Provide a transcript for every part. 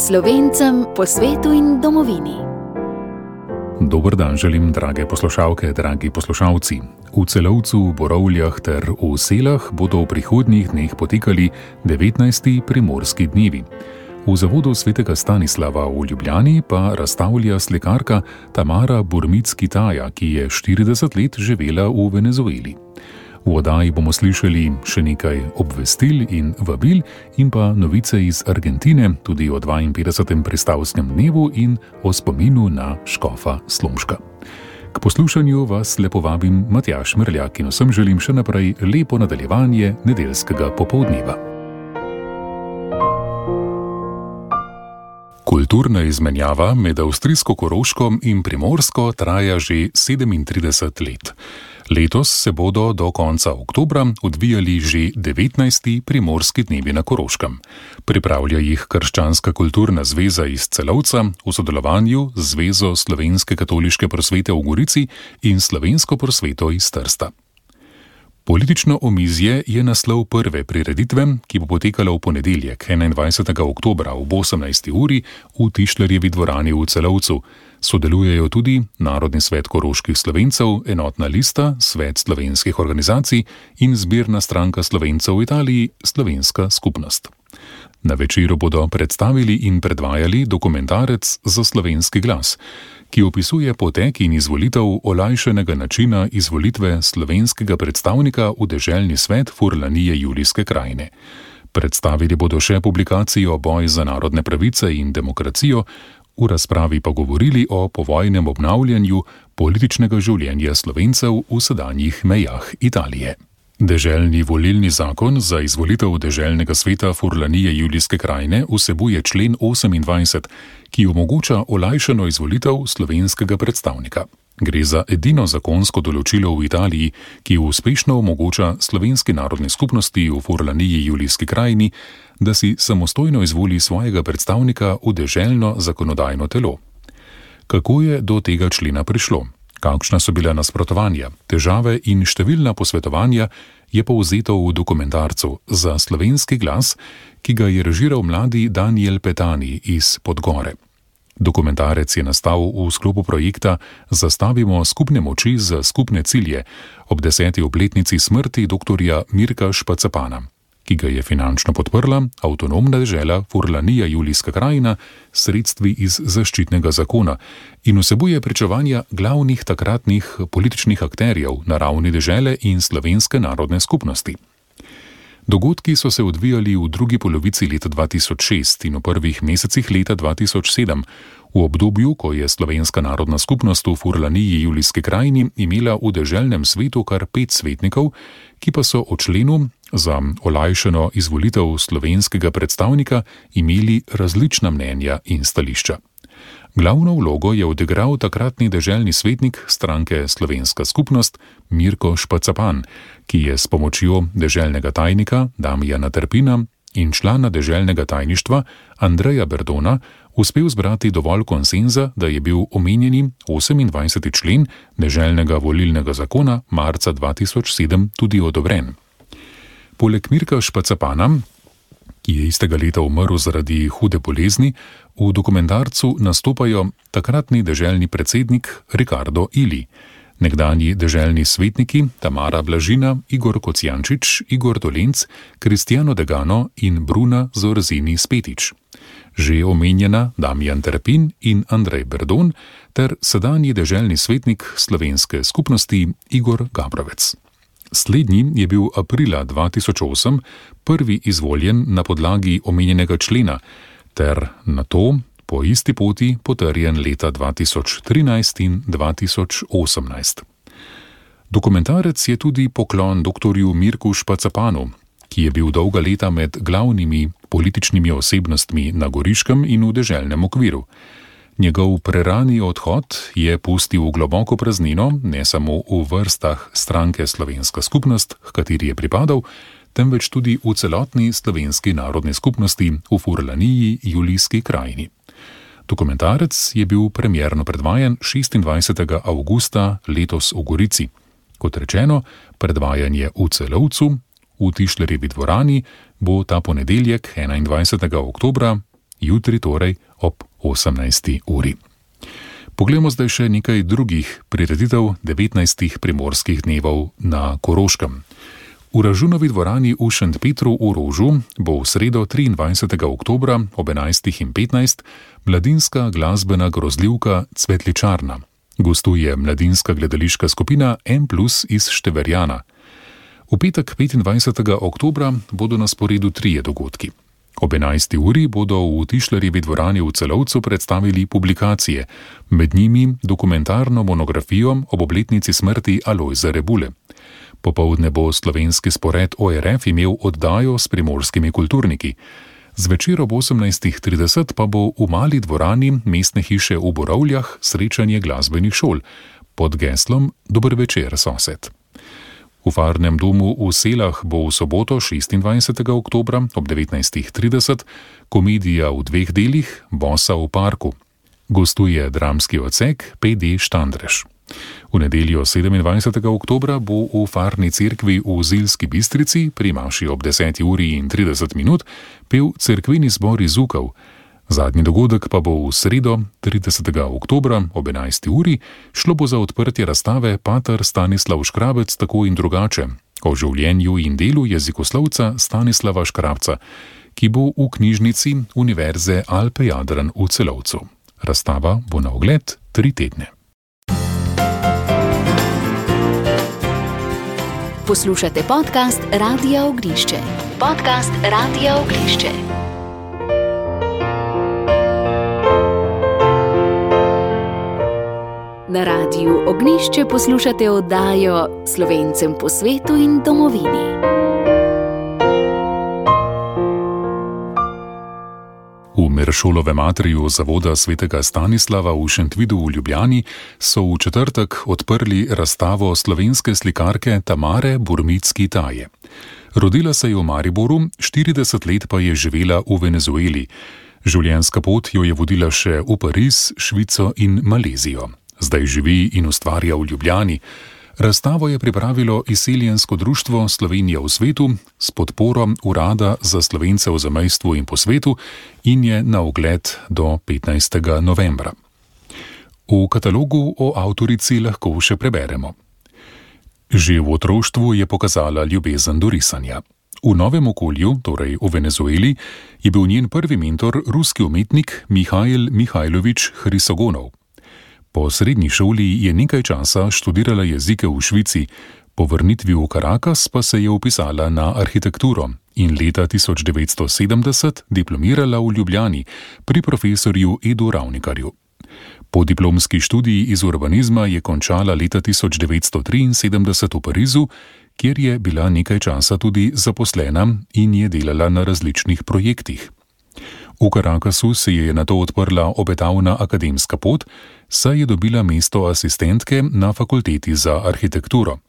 Slovencem po svetu in domovini. Dober dan želim, drage poslušalke, dragi poslušalci. V Celovcu, Borovljah ter v Selah bodo v prihodnjih dneh potekali 19. primorski dnevi. V zavodu svetega Stanislava v Ljubljani pa razstavlja slikarka Tamara Burmic-Kitaja, ki je 40 let živela v Venezueli. V oddaji bomo slišali še nekaj obvestil in vabil in pa novice iz Argentine, tudi o 52. pristavskem dnevu in o spominu na škofa Slomška. K poslušanju vas lepo vabim Matjaž Merljak in vsem želim še naprej lepo nadaljevanje nedeljskega popoldneva. Kulturna izmenjava med avstrijsko Koroško in Primorsko traja že 37 let. Letos se bodo do konca oktobra odvijali že 19. primorski dnevi na Koroškem. Pripravlja jih Krščanska kulturna zveza iz Celovca v sodelovanju z Zvezo slovenske katoliške prosvete v Gorici in Slovensko prosveto iz Trsta. Politično omizje je naslov prve prireditve, ki bo potekala v ponedeljek, 21. oktobra ob 18. uri v Tišlerjevi dvorani v Celovcu. Sodelujejo tudi Narodni svet koroških Slovencev, Enotna lista, Svet slovenskih organizacij in Zbirna stranka Slovencev v Italiji, Slovenska skupnost. Na večeru bodo predstavili in predvajali dokumentarec Za slovenski glas, ki opisuje potek in izvolitev olajšanega načina izvolitve slovenskega predstavnika v deželni svet Furlanije Julijske krajine. Predstavili bodo še publikacijo Boj za narodne pravice in demokracijo, v razpravi pa govorili o povojnem obnavljanju političnega življenja Slovencev v sedanjih mejah Italije. Deželni volilni zakon za izvolitev deželnega sveta Furlanije Julijske krajine vsebuje člen 28, ki omogoča olajšano izvolitev slovenskega predstavnika. Gre za edino zakonsko določilo v Italiji, ki uspešno omogoča slovenski narodni skupnosti v Furlaniji Julijski krajini, da si samostojno izvoli svojega predstavnika v deželno zakonodajno telo. Kako je do tega člena prišlo? Kakšna so bila nasprotovanja, težave in številna posvetovanja, je povzeto v dokumentarcu Za slovenski glas, ki ga je režiral mladi Daniel Petani iz Podgore. Dokumentarec je nastal v sklopu projekta Zastavimo skupne moči za skupne cilje ob 10. obletnici smrti dr. Mirka Špacapana, ki ga je finančno podprla avtonomna dežela Furlanija Julijska krajina s sredstvi iz zaščitnega zakona in vsebuje pričevanja glavnih takratnih političnih akterjev na ravni dežele in slovenske narodne skupnosti. Dogodki so se odvijali v drugi polovici leta 2006 in v prvih mesecih leta 2007, v obdobju, ko je slovenska narodna skupnost v Furlaniji Julijski krajini imela v deželnem svetu kar 5 svetnikov, ki pa so o členu za olajšano izvolitev slovenskega predstavnika imeli različna mnenja in stališča. Glavno vlogo je odigral takratni deželni svetnik stranke Slovenska skupnost Mirko Špacapan, ki je s pomočjo deželnega tajnika Damijana Trpina in člana deželnega tajništva Andreja Berdona uspel zbrati dovolj konsenza, da je bil omenjeni 28. člen deželnega volilnega zakona marca 2007 tudi odobren. Poleg Mirka Špacapana, ki je istega leta umrl zaradi hude bolezni, v dokumentarcu nastopajo takratni deželni predsednik Ricardo Ili, nekdanji deželni svetniki Tamara Blažina, Igor Kocijančič, Igor Dolenc, Kristijano Degano in Bruna Zorzini Spetič, že omenjena Damijan Trpin in Andrej Berdon ter sedanji deželni svetnik slovenske skupnosti Igor Gabrovec. Slednji je bil aprila 2008 prvi izvoljen na podlagi omenjenega člena ter nato po isti poti potrjen leta 2013 in 2018. Dokumentarec je tudi poklon dr. Mirku Špacapanu, ki je bil dolga leta med glavnimi političnimi osebnostmi na Goriškem in v deželnem okviru. Njegov prerani odhod je pustil globoko praznino ne samo v vrstah stranke Slovenska skupnost, h kateri je pripadal, temveč tudi v celotni slovenski narodni skupnosti v Furlaniji Julijski krajini. Dokumentarec je bil premierno predvajan 26. avgusta letos v Gorici. Kot rečeno, predvajanje v Celovcu, v Tišlerjevi dvorani, bo ta ponedeljek 21. oktobra jutri torej ob 18. uri. Poglejmo zdaj še nekaj drugih prireditev 19 primorskih dnevov na Koroškem. V Ražunovi dvorani v Šentpetru v Rožu bo v sredo 23. oktobra ob 11.15 mladinska glasbena grozljivka Cvetličarna. Gostuje mladinska gledališka skupina M+ iz Števerjana. V petek 25. oktobra bodo na sporedu 3 dogodki. Ob 11. uri bodo v Tišlerjevi dvorani v Celovcu predstavili publikacije, med njimi dokumentarno monografijo ob obletnici smrti Alojza Rebule. Popoldne bo slovenski spored ORF imel oddajo s primorskimi kulturniki. Zvečer ob 18.30 pa bo v mali dvorani mestne hiše v Borovljah srečanje glasbenih šol pod geslom Dober večer, sosed. V Farnem domu v Selah bo v soboto 26. oktobra ob 19.30 komedija v 2 delih Bosa v parku. Gostuje dramski odsek PD Štandrež. V nedeljo 27. oktobra bo v Farni cerkvi v Zilski Bistrici pri maši ob 10.30 pel cerkveni zbor iz Ukov. Zadnji dogodek pa bo v sredo 30. oktobra ob 11. uri. Šlo bo za odprtje razstave Pater Stanislav Škrabec tako in drugače o življenju in delu jezikoslovca Stanislava Škrabca, ki bo v knjižnici Univerze Alpe Jadran v Celovcu. Razstava bo na ogled 3 tedne. Poslušate podcast Radia Ognišče. Podcast Radia Ognišče. Na Radiu Ognišče poslušate oddajo Slovencem po svetu in domovini. V Meršolovem atriju zavoda svetega Stanislava v Šentvidu v Ljubljani so v četrtek odprli razstavo slovenske slikarke Tamare Burmicki-Taje. Rodila se je v Mariboru, 40 let pa je živela v Venezueli. Življenjska pot jo je vodila še v Pariz, Švico in Malezijo. Zdaj živi in ustvarja v Ljubljani. Razstavo je pripravilo Izseljensko društvo Slovenija v svetu s podporo Urada za Slovence v zamejstvu in po svetu in je na ogled do 15. novembra. V katalogu o avtorici lahko še preberemo. Že v otroštvu je pokazala ljubezen do risanja. V novem okolju, torej v Venezueli, je bil njen prvi mentor ruski umetnik Mihail Mihajlovič Hrisogonov. Po srednji šoli je nekaj časa študirala jezike v Švici, po vrnitvi v Caracas pa se je vpisala na arhitekturo in leta 1970 diplomirala v Ljubljani pri profesorju Edu Ravnikarju. Po diplomski študiji iz urbanizma je končala leta 1973 v Parizu, kjer je bila nekaj časa tudi zaposlena in je delala na različnih projektih. V Caracasu se je nato odprla obetavna akademska pot, saj je dobila mesto asistentke na fakulteti za arhitekturo.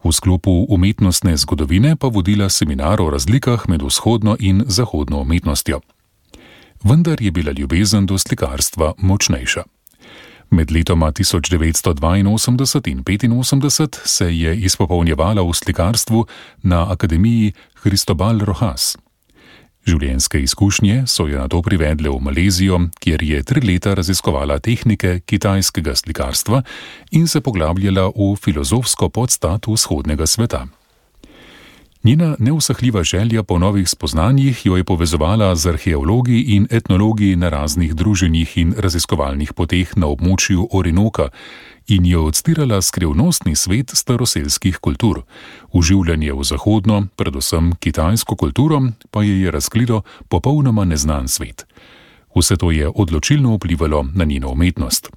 V sklopu umetnostne zgodovine pa vodila seminar o razlikah med vzhodno in zahodno umetnostjo. Vendar je bila ljubezen do slikarstva močnejša. Med letoma 1982 in 1985 se je izpopolnjevala v slikarstvu na Akademiji Cristobal Rojas. Življenjske izkušnje so jo nato privedle v Malezijo, kjer je 3 leta raziskovala tehnike kitajskega slikarstva in se poglabljala v filozofsko podstat vzhodnega sveta. Njena neusahljiva želja po novih spoznanjih jo je povezovala z arheologi in etnologi na raznih druženjih in raziskovalnih poteh na območju Orinoka in jo odstirala skrivnostni svet staroselskih kultur. Vživljanje v zahodno, predvsem kitajsko kulturo, pa je razkrilo popolnoma neznan svet. Vse to je odločilno vplivalo na njeno umetnost.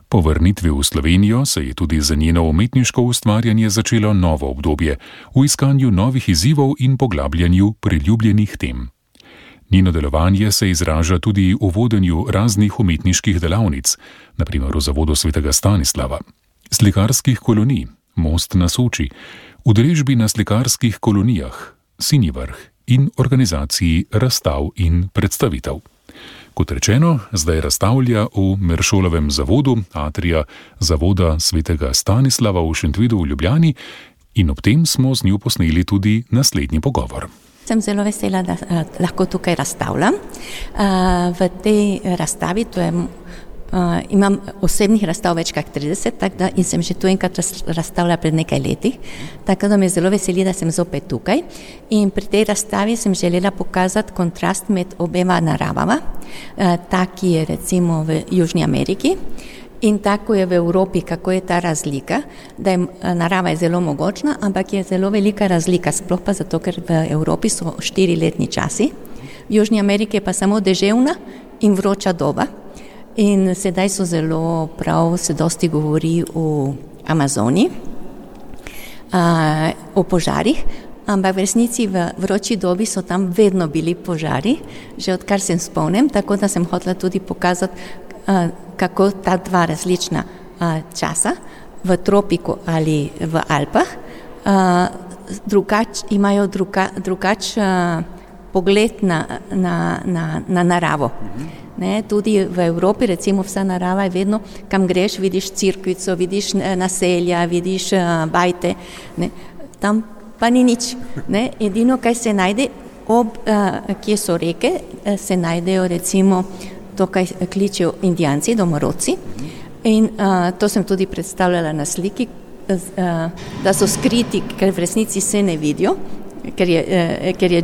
Po vrnitvi v Slovenijo se je tudi za njeno umetniško ustvarjanje začelo novo obdobje v iskanju novih izzivov in poglabljanju priljubljenih tem. Njeno delovanje se izraža tudi v vodenju raznih umetniških delavnic, na primer v Zavodu svetega Stanislava, slikarskih kolonij, Most na Soči, udeležbi na slikarskih kolonijah, Sinji vrh in organizaciji razstav in predstavitev. Kot rečeno, zdaj razstavlja v Meršolovem zavodu atrija Zavoda svetega Stanislava v Šentvidu v Ljubljani in ob tem smo z njo posneli tudi naslednji pogovor. Sem zelo vesela, da lahko tukaj razstavljam. V tej razstavi, imam osebnih razstav več kot 30, in sem že tu enkrat razstavila pred nekaj leti, tako da me zelo veseli, da sem zopet tukaj. In pri tej razstavi sem želela pokazati kontrast med obema naravama, ta, ki je recimo v Južni Ameriki in tako je v Evropi, kako je ta razlika, da je narava je zelo mogočna, ampak je zelo velika razlika, sploh pa zato, ker v Evropi so 4-letni časi, v Južni Ameriki je pa samo deževna in vroča doba. In sedaj so zelo se dosti govori o Amazoniji, o požarih, ampak v resnici v vroči dobi so tam vedno bili požari, že odkar se spomnim, tako da sem hotela tudi pokazati, kako ta dva različna časa v tropiku ali v Alpah imajo drugačen pogled na naravo. Ne, tudi v Evropi, recimo vsa narava je vedno, kam greš, vidiš cirkvico, vidiš naselja, vidiš bajte, ne, tam pa ni nič. Ne, edino, kaj se najde, kje so reke, se najdejo recimo to, kaj kličejo Indijanci, domorodci. In to sem tudi predstavljala na sliki, da so skriti, ker v resnici se ne vidijo, ker je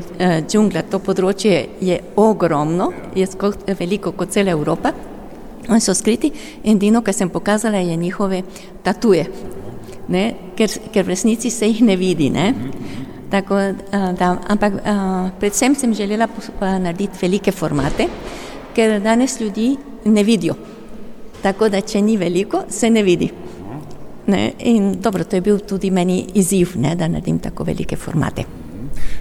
džungla, to področje je ogromno, je veliko kot cela Evropa. Oni so skriti in edino, kar sem pokazala, je njihove tatuje, ne, ker v resnici se jih ne vidi. Ne. Tako, ampak predvsem sem želela narediti velike formate, ker danes ljudi ne vidijo. Tako da, če ni veliko, se ne vidi. Ne, in dobro, to je bil tudi meni izziv, ne, da naredim tako velike formate.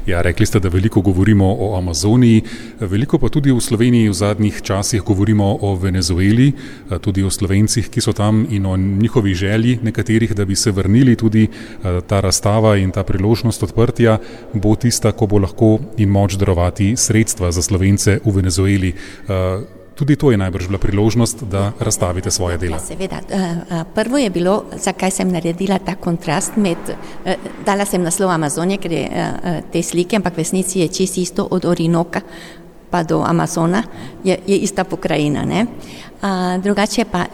Ja, rekli ste, da veliko govorimo o Amazoniji, veliko pa tudi v Sloveniji v zadnjih časih govorimo o Venezueli, tudi o Slovencih, ki so tam in o njihovi želji nekaterih, da bi se vrnili. Tudi ta razstava in ta priložnost odprtja bo tista, ko bo lahko in moč darovati sredstva za Slovence v Venezueli. Tudi to je najbrž bila priložnost, da razstavite svoje dela. Ja, seveda. Prvo je bilo, zakaj sem naredila ta kontrast dala sem naslov Amazonije, ker je te slike, ampak v resnici je čisto isto od Orinoka pa do Amazona, je ista pokrajina. Ne? Drugače pa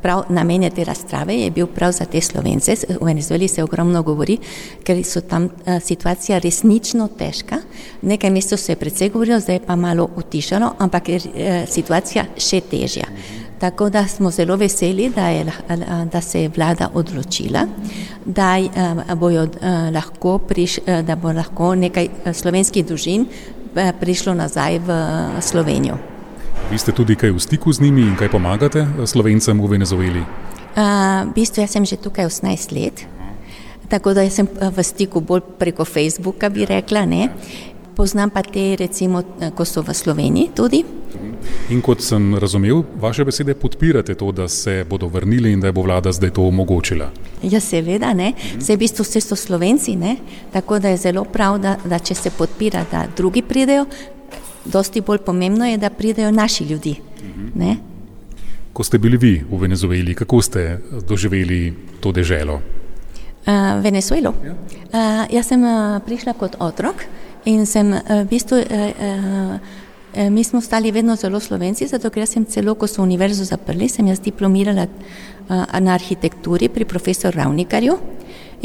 prav namen te razstave je bil prav za te Slovence. V Venezueli se ogromno govori, ker so tam situacija resnično težka. Nekaj mesecev se je precej govorilo, zdaj je pa malo utišalo, ampak je situacija še težja. Tako da smo zelo veseli, da se je vlada odločila, da bo lahko nekaj slovenskih družin prišlo nazaj v Slovenijo. Vi ste tudi kaj v stiku z njimi in kaj pomagate Slovencem v Venezueli? V bistvu jaz sem že tukaj 18 let, tako da sem v stiku bolj preko Facebooka, bi rekla, ne. Poznam pa te, recimo, ko so v Sloveniji tudi. In kot sem razumel, vaše besede podpirate to, da se bodo vrnili in da bo vlada zdaj to omogočila. Ja, seveda, ne. Vse v bistvu vse so Slovenci, ne. Tako da je zelo prav, da če se podpira, da drugi pridejo, dosti bolj pomembno je, da pridejo naši ljudi. Ne? Ko ste bili vi v Venezueli, kako ste doživeli to deželo? Venezuelo? Jaz sem prišla kot otrok in sem v bistvu, mi smo stali vedno zelo Slovenci, zato ker jaz sem celo, ko so univerzo zaprli, sem jaz diplomirala na arhitekturi pri profesor Ravnikarju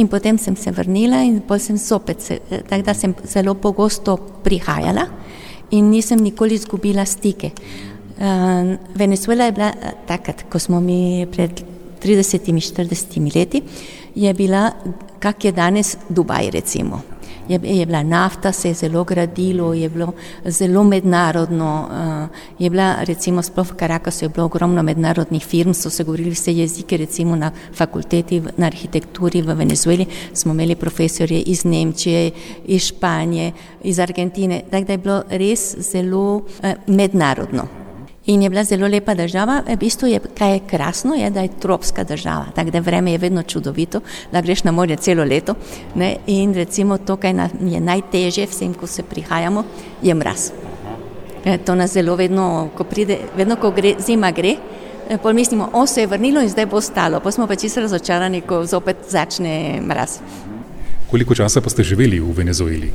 in potem sem se vrnila in potem sem zopet, tako da sem zelo pogosto prihajala in nisem nikoli izgubila stike. Venezuela je bila takrat, ko smo mi pred 30-40 leti, je bila, kak je danes Dubaj, recimo. Je bila nafta, se je zelo gradilo, je bilo zelo mednarodno, je bila, recimo, sploh v Caracasu je bilo ogromno mednarodnih firm, so se govorili vse jezike, recimo na fakulteti, na arhitekturi v Venezueli smo imeli profesorje iz Nemčije, iz Španije, iz Argentine, tako da je bilo res zelo mednarodno. In je bila zelo lepa država, v bistvu je, kaj je krasno, je, da je tropska država, tako da vreme je vedno čudovito, da greš na morje celo leto, ne? In recimo to, kaj je najtežje vsem, ko se prihajamo, je mraz. To nas zelo vedno, ko zima gre, pol mislimo, se je vrnilo in zdaj bo ostalo, pa smo pa čisto razočarani, ko zopet začne mraz. Koliko časa pa ste živeli v Venezueli?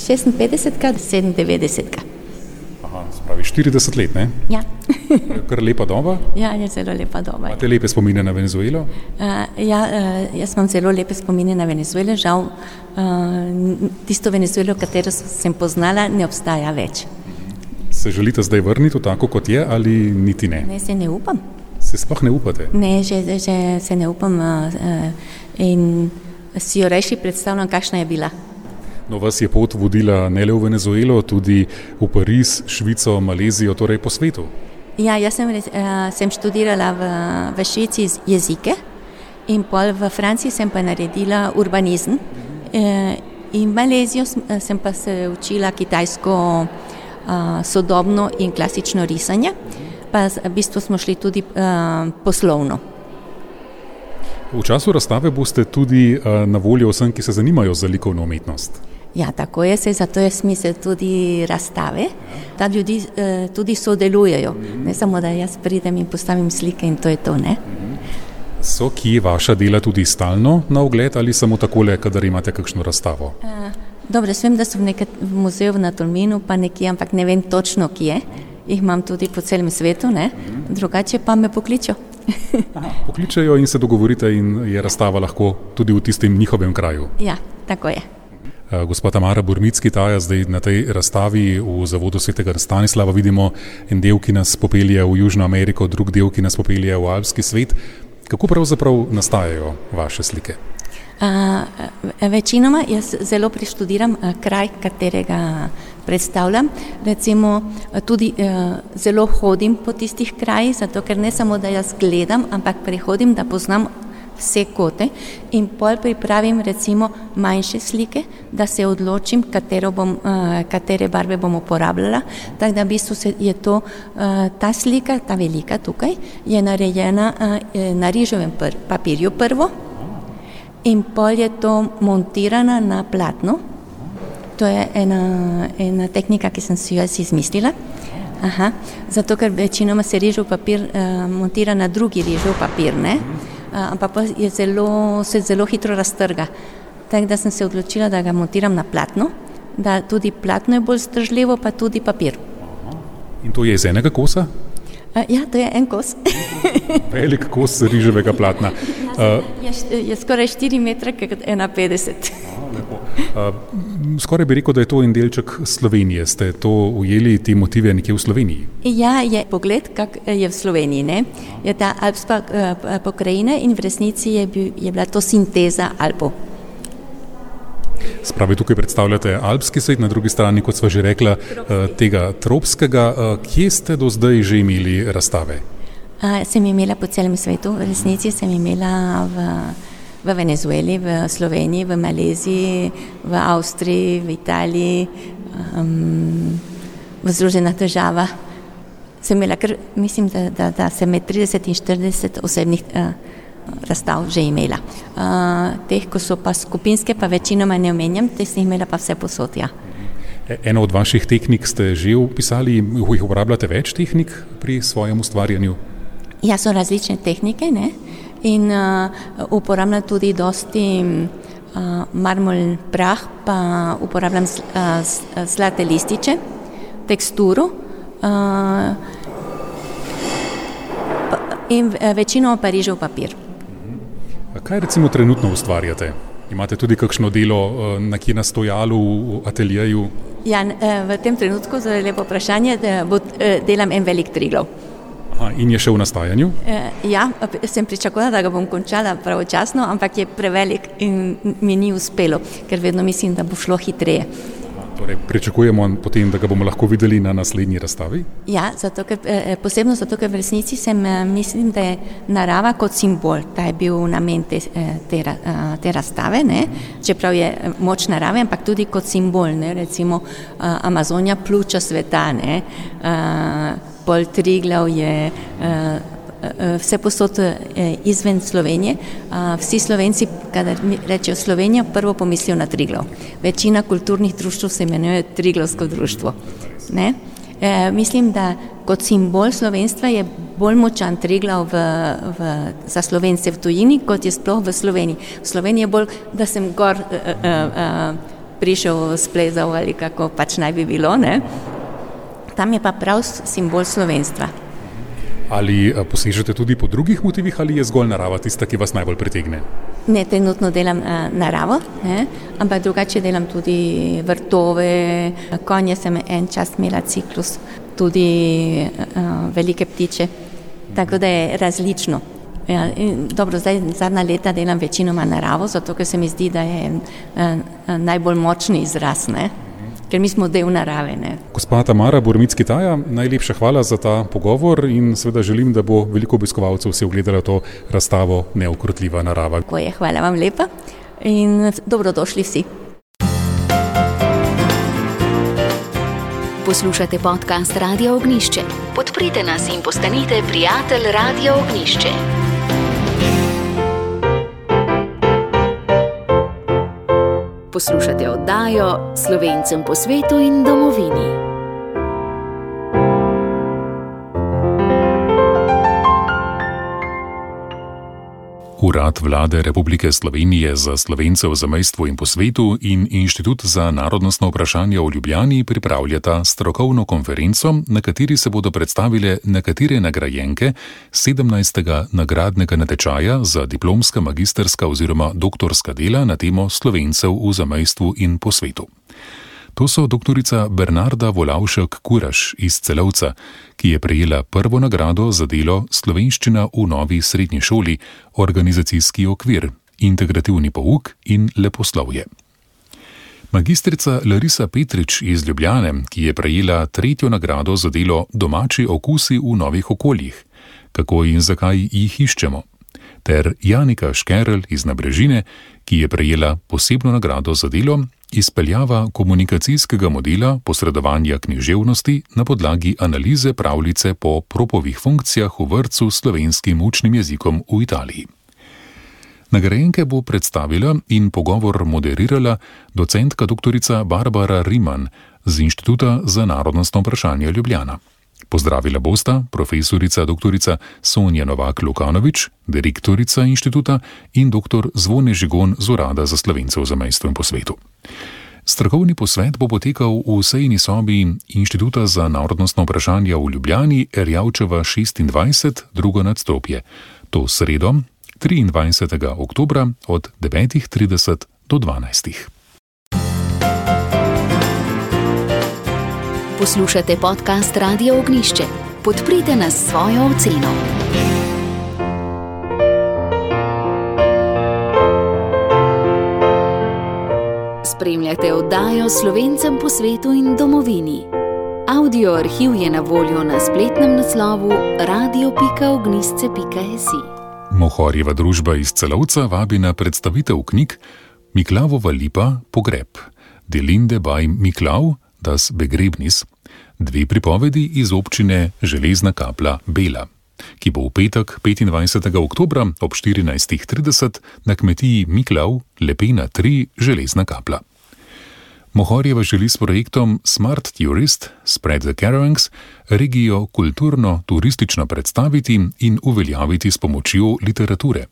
56, 97. Aha, spravi 40 let, ne? Ja. Kar lepa doba. Ja, je zelo lepa doba. Imate lepe spomine na Venezuelo? Jaz imam zelo lepe spomine na Venezuelo. Žal, tisto Venezuelo, katero sem poznala, ne obstaja več. Se želite zdaj vrniti v tako, kot je, ali niti ne? Ne, se ne upam. Se sploh ne upate? Ne, že se ne upam in si jo rejši predstavljam, kakšna je bila. No, vas je pot vodila ne le v Venezuelo, tudi v Pariz, Švico, Malezijo, torej po svetu. Ja, jaz sem študirala v Švici jezike in pol v Franciji sem pa naredila urbanizem. In v Malezijo sem pa se učila kitajsko sodobno in klasično risanje, pa v bistvu smo šli tudi poslovno. V času razstave boste tudi na voljo vsem, ki se zanimajo za likovno umetnost. Ja, tako je, zato je smisel tudi razstave, da ljudi tudi sodelujejo. Ne samo, da jaz pridem in postavim slike in to je to, ne? So kje vaša dela tudi stalno na ogled ali samo takole, kadar imate kakšno razstavo? Dobro, vem, da so v muzeju na Tolminu, pa nekje, ampak ne vem točno kje. Jih imam tudi po celem svetu, ne? Drugače pa me pokličejo. Pokličejo in se dogovorite in je razstava lahko tudi v tistem njihovem kraju. Ja, tako je. Gospa Tamara Burmicki-Taja, zdaj na tej razstavi v Zavodu svetega Stanislava vidimo en del, ki nas popelje v Južno Ameriko, drug del, ki nas popelje v alpski svet. Kako pravzaprav nastajajo vaše slike? Večinoma jaz zelo preštudiram kraj, katerega predstavljam. Recimo tudi zelo hodim po tistih krajih, zato ker ne samo, da jaz gledam, ampak prehodim, da poznam vse kote in pol pripravim recimo manjše slike, da se odločim, katere barve bom uporabljala. Tako da v bistvu je to, ta slika, ta velika tukaj, je narejena na rižovem papirju prvo in pol je to montirana na platno. To je ena tehnika, ki sem si jo izmislila. Zato, ker večinoma se rižov papir montira na drugi rižov papir, ne? Ampak pa se zelo hitro raztrga. Tako da sem se odločila, da ga montiram na platno, da tudi platno je bolj zdržljivo, pa tudi papir. In to je iz enega kosa? Ja, to je en kos. Velik kos riževega platna. Je skoraj 4 metre, kot 1,50. Skoraj bi rekel, da je to en delček Slovenije. Ste to ujeli, te motive nekje v Sloveniji? Ja, je pogled, kak je v Sloveniji, ne? Je ta alpska pokrajina in v resnici je bila to sinteza Alpov. Spravi, tukaj predstavljate alpski svet, na drugi strani, kot sva že rekla, tega tropskega. Kje ste do zdaj že imeli razstave? Sem imela po celem svetu, v resnici sem imela v Venezueli, v Sloveniji, v Maleziji, v Avstriji, v Italiji, v Združenih državah. Sem imela mislim, da sem med 30 in 40 osebnih razstav že imela. Teh, ko so pa skupinske, pa večinoma ne omenjam, te sem imela pa vse posod, ja. Eno od vaših tehnik ste že opisali, jih uporabljate več tehnik pri svojem ustvarjanju? Ja, so različne tehnike, ne? In uporabljam tudi dosti marmolni prah, pa uporabljam zlate lističe, teksturo in večino pa rižev papir. Kaj recimo trenutno ustvarjate? Imate tudi kakšno delo nekje na stojalu, v ateljeju? Ja, v tem trenutku, zelo lepo vprašanje, delam en velik Triglav. In je še v nastajanju? Ja, sem pričakovala, da ga bom končala pravočasno, ampak je prevelik in mi ni uspelo, ker vedno mislim, da bo šlo hitreje. Torej, pričakujemo potem, da ga bomo lahko videli na naslednji razstavi? Ja, posebno zato, ker v resnici mislim, da je narava kot simbol, da je bil namen te razstave, ne? Čeprav je moč narave, ampak tudi kot simbol, ne? Recimo Amazonija, pljuča sveta, ne? Pol Triglav je vse posod izven Slovenije. Vsi Slovenci, kadar rečejo Slovenija, prvo pomislijo na Triglav. Večina kulturnih društv se imenuje Triglavsko društvo. Ne? Mislim, da kot simbol slovenstva je bolj močan Triglav za Slovence v tujini, kot je sploh v Sloveniji. V Sloveniji je bolj, da sem gor prišel, splezal ali kako pač naj bi bilo, ne? Tam je pa prav simbol slovenstva. Ali posežete tudi po drugih motivih ali je zgolj narava tista, ki vas najbolj pritegne? Ne, trenutno delam naravo, ne? Ampak drugače delam tudi vrtove, konje sem en čas imela ciklus, tudi velike ptiče, tako da je različno. Ja, dobro, zdaj zadnja leta delam večinoma naravo, zato ker se mi zdi, da je najbolj močni izraz, ne? Ker mi smo del narave, ne. Gospa Tamara Boromicki-Taja, najlepša hvala za ta pogovor in seveda želim, da bo veliko obiskovalcev si ogledalo to razstavo Neukrotljiva narava. Tako je, hvala vam lepa in dobrodošli vsi. Poslušate podcast Radia Ognjišče. Podprite nas in postanite prijatelj Radia Ognjišče. Poslušate oddajo Slovencem po svetu in domovini. Urad Vlade Republike Slovenije za Slovence v zamejstvu in po svetu in Inštitut za narodnostno vprašanje v Ljubljani pripravljata strokovno konferenco, na kateri se bodo predstavile nekatere nagrajenke 17. nagradnega natečaja za diplomska, magisterska oziroma doktorska dela na temo Slovencev v zamejstvu in po svetu. To so doktorica Bernarda Volavšek-Kuraš iz Celovca, ki je prejela prvo nagrado za delo Slovenščina v novi srednji šoli, organizacijski okvir, integrativni pouk in leposlovje. Magistrica Larisa Petrič iz Ljubljane, ki je prejela tretjo nagrado za delo Domači okusi v novih okoljih, kako in zakaj jih iščemo, ter Janika Škerl iz Nabrežine, ki je prejela posebno nagrado za delo Izpeljava komunikacijskega modela posredovanja književnosti na podlagi analize pravljice po Propovih funkcijah v vrtcu s slovenskim učnim jezikom v Italiji. Nagrajenke bo predstavila in pogovor moderirala docentka doktorica Barbara Riman z Inštituta za narodnostno vprašanje Ljubljana. Pozdravila bosta profesorica doktorica Sonja Novak-Lukanovič, direktorica inštituta, in dr. Zvone Žigon z Urada za Slovence v zamejstvu in po svetu. Strokovni posvet bo potekal v sejni sobi Inštituta za narodnostno vprašanje v Ljubljani, Erjavčeva 26, drugo nadstropje. To sredo, 23. oktobra od 9.30 do 12. Poslušate podcast Radia Ognjišče. Podprite nas s svojo oceno. Spremljate oddajo Slovencem po svetu in domovini. Audio arhiv je na voljo na spletnem naslovu radio.ognjišče.si. Mohorjeva družba iz Celovca vabi na predstavitev knjig Miklavova lipa Pogreb, Delinde by Miklav, Das Begrebnis, dve pripovedi iz občine Železna Kapla Bela, ki bo v petek 25. oktobra ob 14.30 na kmetiji Miklav, Lepena 3, Železna Kapla. Mohorjeva želi s projektom Smart Tourist, Spread the Caravans regijo kulturno-turistično predstaviti in uveljaviti s pomočjo literature.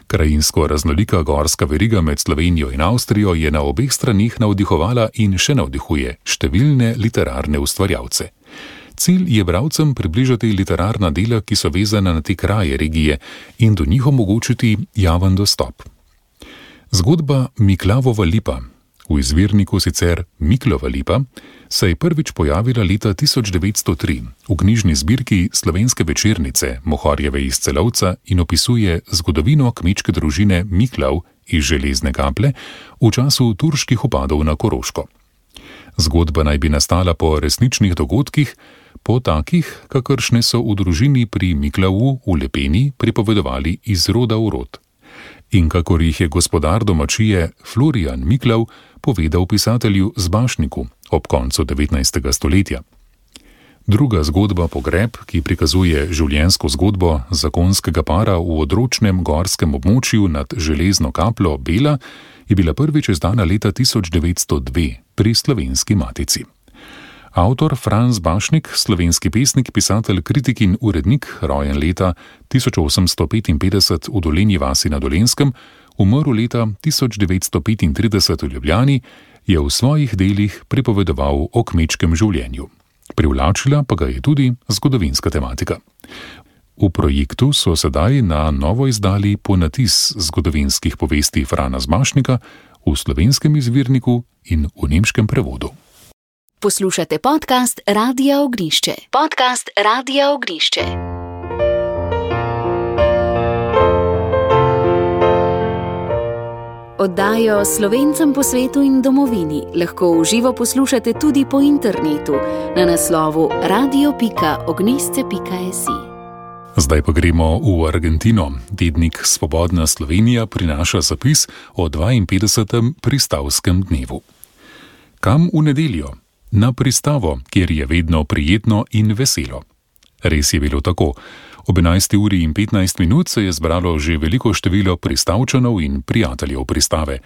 Krajinsko raznolika gorska veriga med Slovenijo in Avstrijo je na obeh stranih navdihovala in še navdihuje številne literarne ustvarjalce. Cilj je bralcem približati literarna dela, ki so vezana na te kraje regije, in do njih omogočiti javen dostop. Zgodba Miklavova lipa, v izvirniku sicer Miklova lipa, se je prvič pojavila leta 1903 v knjižni zbirki Slovenske večernice Mohorjeve iz Celovca in opisuje zgodovino kmečke družine Miklav iz Železne Kaple v času turških vpadov na Koroško. Zgodba naj bi nastala po resničnih dogodkih, po takih, kakršne so v družini pri Miklavu v Lepeni pripovedovali iz roda v rod. In kakor jih je gospodar domačije Florian Miklav povedal pisatelju Zbašniku ob koncu 19. stoletja. Druga zgodba Pogreb, ki prikazuje življenjsko zgodbo zakonskega para v odročnem gorskem območju nad Železno Kaplo Bela, je bila prvič izdana leta 1902 pri Slovenski matici. Avtor Franz Bašnik, slovenski pesnik, pisatelj, kritik in urednik, rojen leta 1855 v Dolenji vasi na Dolenjskem, umrl leta 1935 v Ljubljani, je v svojih delih pripovedoval o kmečkem življenju. Privlačila pa ga je tudi zgodovinska tematika. V projektu so sedaj na novo izdali ponatis zgodovinskih povesti Frana Bašnika v slovenskem izvirniku in v nemškem prevodu. Poslušate podcast Radia Ognjišče. Podcast Radia Ognjišče. Oddajo Slovencem po svetu in domovini lahko v živo poslušate tudi po internetu na naslovu radio.ognisce.si. Zdaj pa gremo v Argentino. Tednik Svobodna Slovenija prinaša zapis o 52. pristavskem dnevu. Kam v nedeljo? Na pristavo, kjer je vedno prijetno in veselo. Res je bilo tako. Ob 11:15 se je zbralo že veliko število pristavčanov in prijateljev pristave.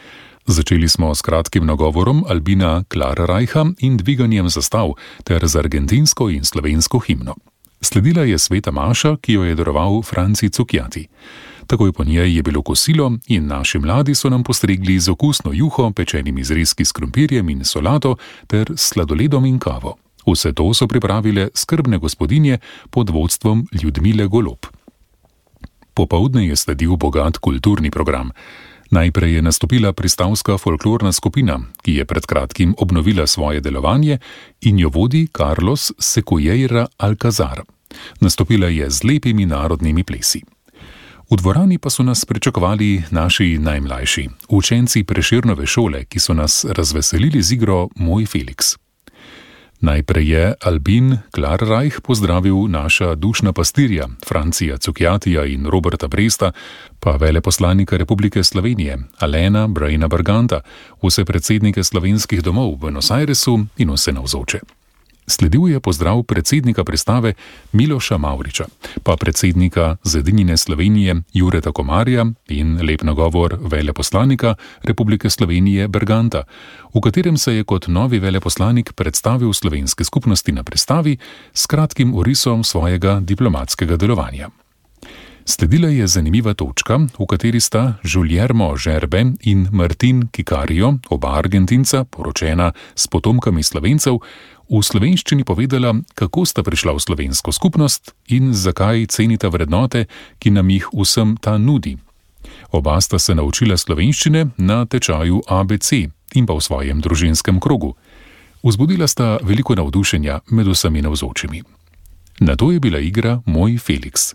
Začeli smo s kratkim nagovorom Albina Klarreicha in dviganjem zastav ter z argentinsko in slovensko himno. Sledila je sveta maša, ki jo je daroval Franci Cukjati. Takoj po njej je bilo kosilo in naši mladi so nam postregli z okusno juho, pečenimi zrezki s krompirjem in solato ter sladoledom in kavo. Vse to so pripravile skrbne gospodinje pod vodstvom Ljudmile Golob. Popoldne je sledil bogat kulturni program. Najprej je nastopila pristavska folklorna skupina, ki je pred kratkim obnovila svoje delovanje in jo vodi Carlos Secueira Alcazar. Nastopila je z lepimi narodnimi plesi. V dvorani pa so nas pričakovali naši najmlajši, učenci Prešernove šole, ki so nas razveselili z igro Moj Felix. Najprej je Albin Klarreich pozdravil naša dušna pastirja, Francija Cukjatija in Roberta Bresta, pa veleposlanika Republike Slovenije, Alena Brejna Barganta, vse predsednike slovenskih domov v Buenos Airesu in vse navzoče. Sledil je pozdrav predsednika pristave Miloša Mavriča, pa predsednika Zedinjene Slovenije Jureta Komarja in lep nagovor veleposlanika Republike Slovenije Berganta, v katerem se je kot novi veleposlanik predstavil slovenske skupnosti na pristavi s kratkim orisom svojega diplomatskega delovanja. Sledila je zanimiva točka, v kateri sta Guillermo Žerbe in Martin Kikario, oba Argentinca, poročena s potomkami Slovencev, v slovenščini povedala, kako sta prišla v slovensko skupnost in zakaj cenita vrednote, ki nam jih vsem ta nudi. Oba sta se naučila slovenščine na tečaju ABC in pa v svojem družinskem krogu. Vzbudila sta veliko navdušenja med vsemi navzočimi. Nato je bila igra Moj Felix.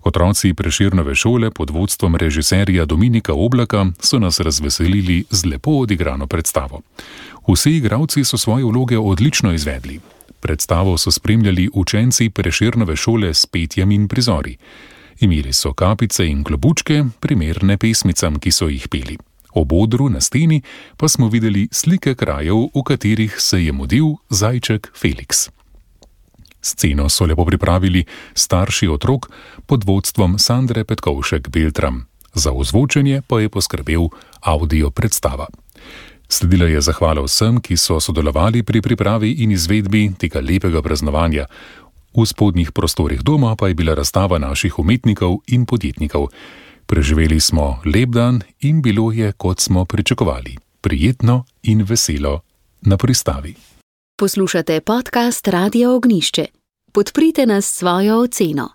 Otroci Prešernove šole pod vodstvom režiserja Dominika Oblaka so nas razveselili z lepo odigrano predstavo. Vsi igralci so svoje vloge odlično izvedli. Predstavo so spremljali učenci Prešernove šole s petjem in prizori. Imeli so kapice in klobučke, primerne pesmicam, ki so jih peli. Ob odru na steni pa smo videli slike krajev, v katerih se je mudil zajček Felix. Sceno so lepo pripravili starši otrok pod vodstvom Sandre Petkovšek-Beltram. Za ozvočenje pa je poskrbel audio predstava. Sledila je zahvala vsem, ki so sodelovali pri pripravi in izvedbi tega lepega praznovanja. V spodnjih prostorih doma pa je bila razstava naših umetnikov in podjetnikov. Preživeli smo lep dan in bilo je, kot smo pričakovali, prijetno in veselo na pristavi. Poslušate podcast Radia Ognjišče. Podprite nas s svojo oceno.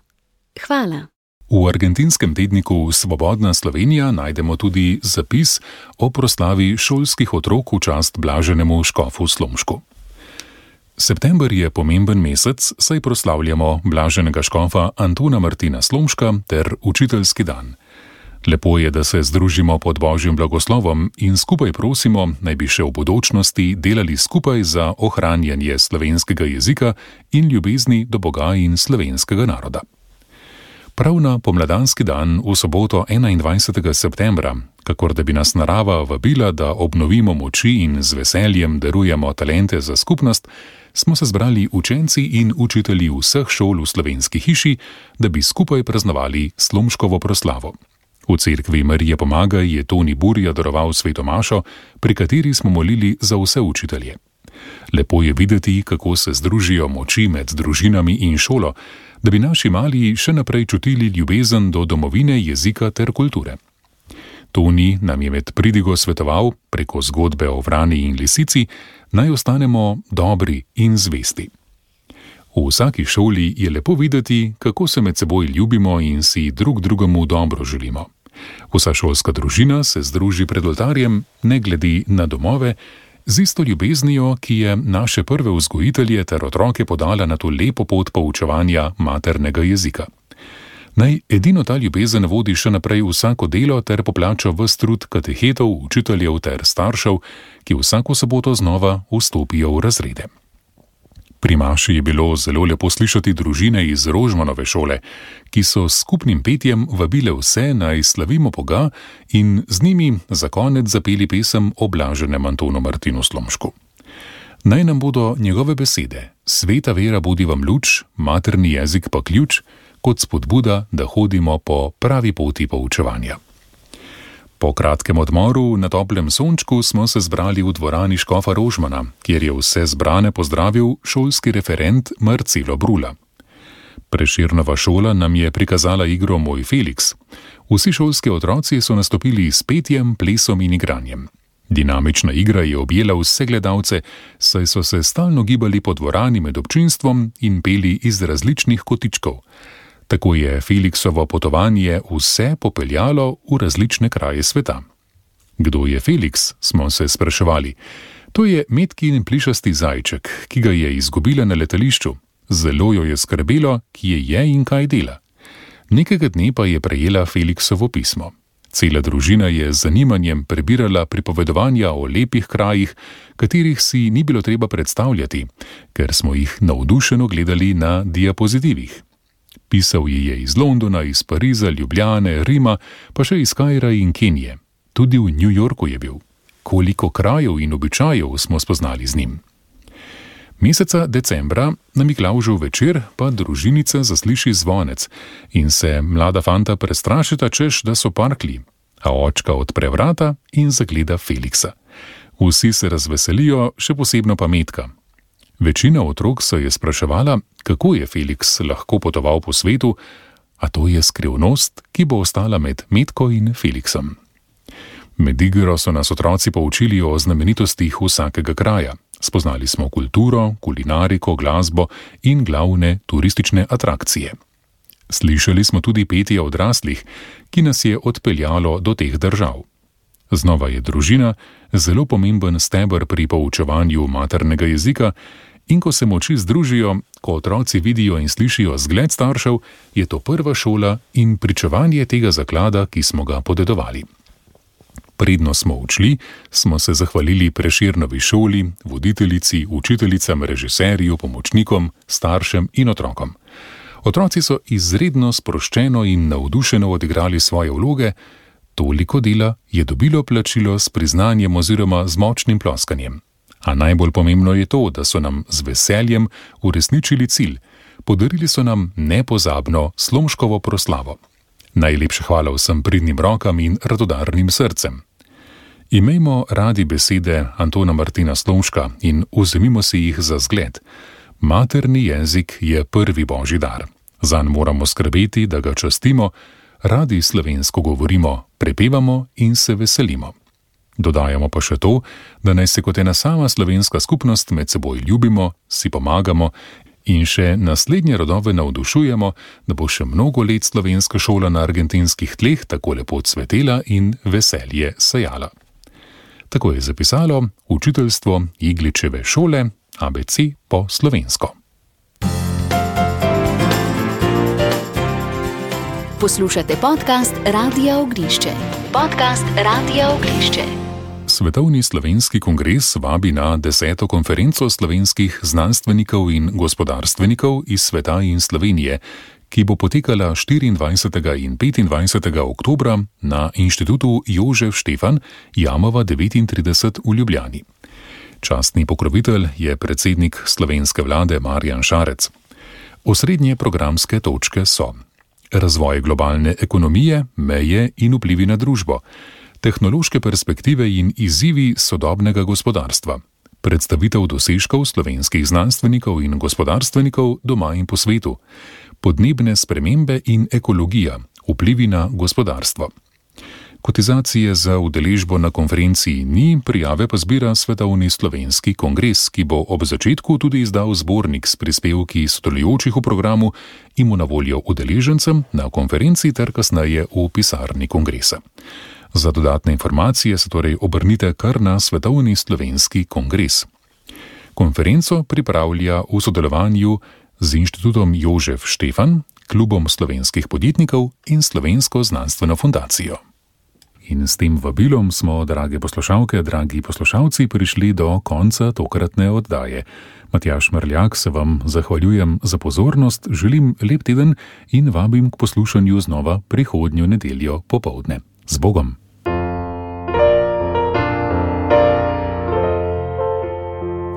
Hvala. V argentinskem tedniku Svobodna Slovenija najdemo tudi zapis o proslavi šolskih otrok v čast blaženemu škofu Slomšku. September je pomemben mesec, saj proslavljamo blaženega škofa Antona Martina Slomška ter učiteljski dan. Lepo je, da se združimo pod Božjim blagoslovom in skupaj prosimo, naj bi še v bodočnosti delali skupaj za ohranjanje slovenskega jezika in ljubezni do Boga in slovenskega naroda. Prav na pomladanski dan v soboto 21. septembra, kakor da bi nas narava vabila, da obnovimo moči in z veseljem darujemo talente za skupnost, smo se zbrali učenci in učitelji vseh šol v Slovenski hiši, da bi skupaj praznovali Slomškovo proslavo. V cerkvi Marije Pomagaj je Toni Burja daroval sveto mašo, pri kateri smo molili za vse učitelje. Lepo je videti, kako se združijo moči med družinami in šolo, da bi naši mali še naprej čutili ljubezen do domovine, jezika ter kulture. Toni nam je med pridigo svetoval, preko zgodbe o vrani in lisici, naj ostanemo dobri in zvesti. V vsaki šoli je lepo videti, kako se med seboj ljubimo in si drug drugemu dobro želimo. Vsa šolska družina se združi pred oltarjem, ne glede na domove, z isto ljubeznijo, ki je naše prve vzgojitelje ter otroke podala na to lepo pot poučevanja maternega jezika. Naj edino ta ljubezen vodi še naprej vsako delo ter poplača ves trud katehetov, učiteljev ter staršev, ki vsako soboto znova vstopijo v razrede. Pri maši je bilo zelo lepo slišati družine iz Rožmanove šole, ki so s skupnim petjem vabile vse, naj slavimo Boga in z njimi za konec zapeli pesem o blaženem Antonu Martinu Slomšku. Naj nam bodo njegove besede: sveta vera bodi vam luč, materni jezik pa ključ, kot spodbuda, da hodimo po pravi poti poučevanja. Po kratkem odmoru na toplem sončku smo se zbrali v dvorani škofa Rožmana, kjer je vse zbrane pozdravil šolski referent Marcelo Brula. Prešernova šola nam je prikazala igro Moj Feliks. Vsi šolski otroci so nastopili s petjem, plesom in igranjem. Dinamična igra je objela vse gledalce, saj so se stalno gibali po dvorani med občinstvom in peli iz različnih kotičkov. Tako je Feliksovo potovanje vse popeljalo v različne kraje sveta. Kdo je Feliks, smo se spraševali. To je metkin plišasti zajček, ki ga je izgubila na letališču. Zelo jo je skrbelo, kje je in kaj dela. Nekega dne pa je prejela Feliksovo pismo. Cela družina je z zanimanjem prebirala pripovedovanja o lepih krajih, katerih si ni bilo treba predstavljati, ker smo jih navdušeno gledali na diapozitivih. Pisal ji je iz Londona, iz Pariza, Ljubljane, Rima, pa še iz Kaira in Kenije. Tudi v New Yorku je bil. Koliko krajev in običajev smo spoznali z njim. Meseca decembra na Miklavžev večer pa družinica zasliši zvonec in se mlada fanta prestrašita, češ, da so parkli, a očka odpre vrata in zagleda Feliksa. Vsi se razveselijo, še posebno pa Metka. Večina otrok se je spraševala, kako je Feliks lahko potoval po svetu, a to je skrivnost, ki bo ostala med Metko in Feliksom. Med igro so nas otroci poučili o znamenitostih vsakega kraja. Spoznali smo kulturo, kulinariko, glasbo in glavne turistične atrakcije. Slišali smo tudi petje odraslih, ki nas je odpeljalo do teh držav. Znova je družina zelo pomemben steber pri poučevanju maternega jezika in ko se moči združijo, ko otroci vidijo in slišijo zgled staršev, je to prva šola in pričevanje tega zaklada, ki smo ga podedovali. Predno smo odšli, smo se zahvalili Prešernovi šoli, voditeljici, učiteljicam, režiserju, pomočnikom, staršem in otrokom. Otroci so izredno sproščeno in navdušeno odigrali svoje vloge, toliko dela je dobilo plačilo s priznanjem oziroma z močnim ploskanjem. A najbolj pomembno je to, da so nam z veseljem uresničili cilj. Podarili so nam nepozabno Slomškovo proslavo. Najlepša hvala vsem pridnim rokam in radodarnim srcem. Imejmo radi besede Antona Martina Slomška in vzemimo si jih za zgled. Materni jezik je prvi božji dar. Zanj moramo skrbeti, da ga častimo, radi slovensko govorimo, prepevamo in se veselimo. Dodajamo pa še to, da naj se kot ena sama slovenska skupnost med seboj ljubimo, si pomagamo in še naslednje rodove navdušujemo, da bo še mnogo let slovenska šola na argentinskih tleh tako lepo cvetela in veselje sejala. Tako je zapisalo učiteljstvo Igličeve šole ABC po slovensko. Poslušate podcast Radia Ognišče. Podcast Radia Ognišče. Svetovni slovenski kongres vabi na 10. konferenco slovenskih znanstvenikov in gospodarstvenikov iz sveta in Slovenije, ki bo potekala 24. in 25. oktobra na Inštitutu Jožef Štefan, Jamova 39 v Ljubljani. Častni pokrovitelj je predsednik slovenske vlade Marjan Šarec. Osrednje programske točke so razvoj globalne ekonomije, meje in vplivi na družbo, tehnološke perspektive in izzivi sodobnega gospodarstva, predstavitev dosežkov slovenskih znanstvenikov in gospodarstvenikov doma in po svetu, podnebne spremembe in ekologija, vplivi na gospodarstvo. Kotizacije za udeležbo na konferenciji ni, prijave pa zbira Svetovni slovenski kongres, ki bo ob začetku tudi izdal zbornik s prispevki sodelujočih v programu in mu na voljo udeležencem na konferenci ter kasneje v pisarni kongresa. Za dodatne informacije se torej obrnite kar na Svetovni slovenski kongres. Konferenco pripravlja v sodelovanju z Inštitutom Jožef Štefan, Klubom slovenskih podjetnikov in Slovensko znanstveno fundacijo. In s tem vabilom smo, drage poslušalke, dragi poslušalci, prišli do konca tokratne oddaje. Matjaž Mrljak se vam zahvaljujem za pozornost, želim lep teden in vabim k poslušanju znova prihodnjo nedeljo popoldne. Z Bogom!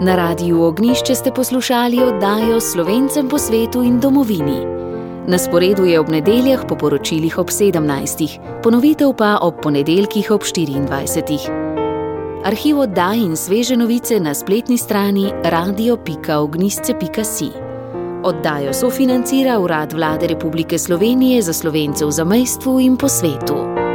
Na Radiu Ognjišče ste poslušali oddajo Slovencem po svetu in domovini. Na sporedu je ob nedeljah po poročilih ob 17. Ponovitev pa ob ponedeljkih ob 24. Arhiv oddaj in sveže novice na spletni strani radio.ognjišče.si. Oddajo sofinancira Urad Vlade Republike Slovenije za Slovence v zamejstvu in po svetu.